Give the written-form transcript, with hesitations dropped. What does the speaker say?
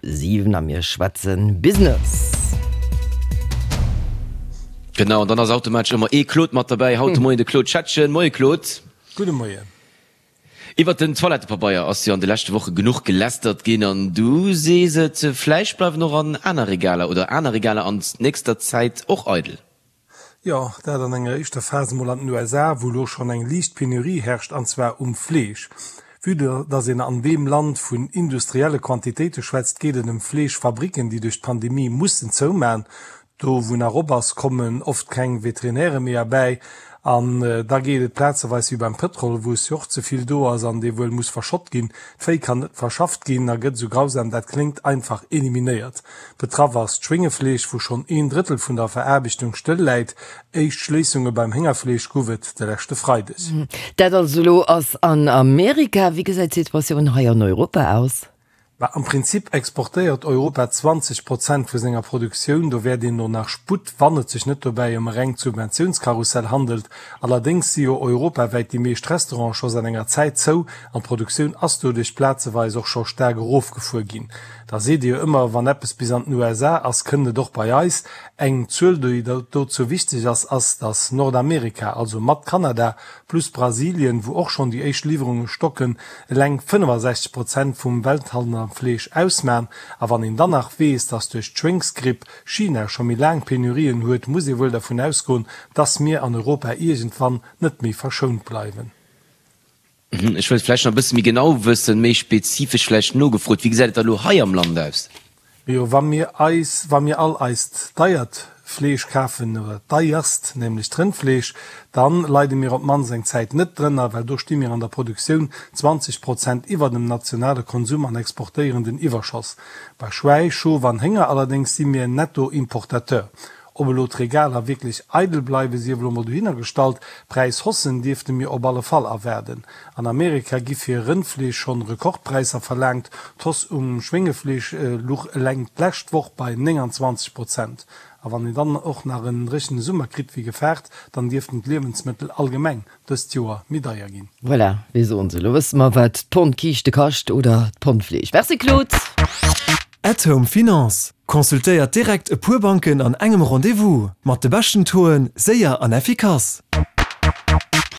7 a mir schwätzen Business. Genau, an dann ass automatesch ëmmer ee Claude mat derbäi. Haut de Moien de Claude Schettgen. Moie Claude. Gudde Moien. Iwwert den Toilettepabeier ass jo an de leschte Woche genuch gelästert ginn an du sees et, vläicht bleiwen och an aner Regaler oder aner Regaler an nächster Zäit och eidel. Jo, dat an enger éischter Phas emol an den USA, wou elo schonn eng liicht Penurie herrscht, an zwar um Fleesch. Vue datt een an deem Land vun industrielle Quantitéite schwätzt, geet et ëm Fleeschfabricken, déi duerch d'Pandemie mussen zouman. Do wou nach op ass, kommen oft keng Veterinäre méi erbäi. An da geet et plazeweis wéi beim Pëtrol, wou es jo och ze vill do ass an dee wuel muss verschott ginn. D'Véi kann net verschafft ginn a gëtt, esou grausam dat kléngt, einfach eliminéiert. Betraff ass d'Schwéngefleesch, wou schonn een Drëttel vun der Veraarbechtung stëll läit. Éischt Schléissunge beim Héngerfleesch gouf et de leschte Freideg. Dat also elo ass an Amerika. Wéi gesäit d'Situatioun hei an Europa aus? Bah, am Prinzip exportéiert Europa 20 Prozent vu senger Produktioun. Do wäert een no nach Sputt, wann et sech net dobäi ëm e rengt Subventiounskarussell handelt. Allerdéngs si jo europawäit déi meescht Restaurante scho säit enger Zäit zou an d'Produktioun ass doduerch plazeweis och scho staark erofgefuer ginn. Da seet ee jo ëmmer, wann eppes bis an den USA ass, kënnt et och bei eis. Eng Zuel, déi dozou wichteg ass, ass, datt Nordamerika, also mat Kanada, plus Brasilien, wou och schonn déi éischt Liwwerunge stocken, eleng 65 Prozent vum Welthandel am Fleesch ausman. A wann een dann nach weess, datt duerch d'Schwéngsgripp China scho méi laang Penurien huet, muss ee wuel dervun ausgoen, datt mir an Europa iergendwann net méi verschount bleiwen. Ech wëllt vläicht nach e bësse méi genau wëssen, méi spezifesch vläicht nogefrot, Wéi gesäit et da elo hei am Land aus? Mee jo, wa mir eis, wa mir all eist deiert Fleesch kafen, oder d'deierst, nämlech d'Rëndfleesch, dann leide mir op d'mannst eng Zäit net drënner, well do sti mir an der Produktioun 20 Prozent iwwer dem nationale Konsum an exportéieren den Iwwerschoss. Bei Schwäi, Schof an Hénger allerdéngs si mir Netto-Importateur. Ob elo d'Regaler wierklech eidel bleiwen, sief elo mol dohinner gestallt, Präishaussen dierfte mir op alle Fall erwaarden. An Amerika gi fir Rëndfleesch schonn Rekordpräisser verlaangt, d'Hausse um Schwéngefleesch luch eleng d'lescht Woch bei 29 Prozent. A wann een dann och nach en dréchene Summer kritt wéi gefaart, dann dierften d'Liewensmëttel allgemeng dëst Joer méi deier ginn. Voilà, wéi soen se, elo wësse mer wat d'Pond Kiischte kascht oder d'Pond Fleesch. Merci Claude! At Home Finance, Consultéiert direkt e puer Banken an engem Rendez-vous. Mat de beschten Tauxen, séier an effikass.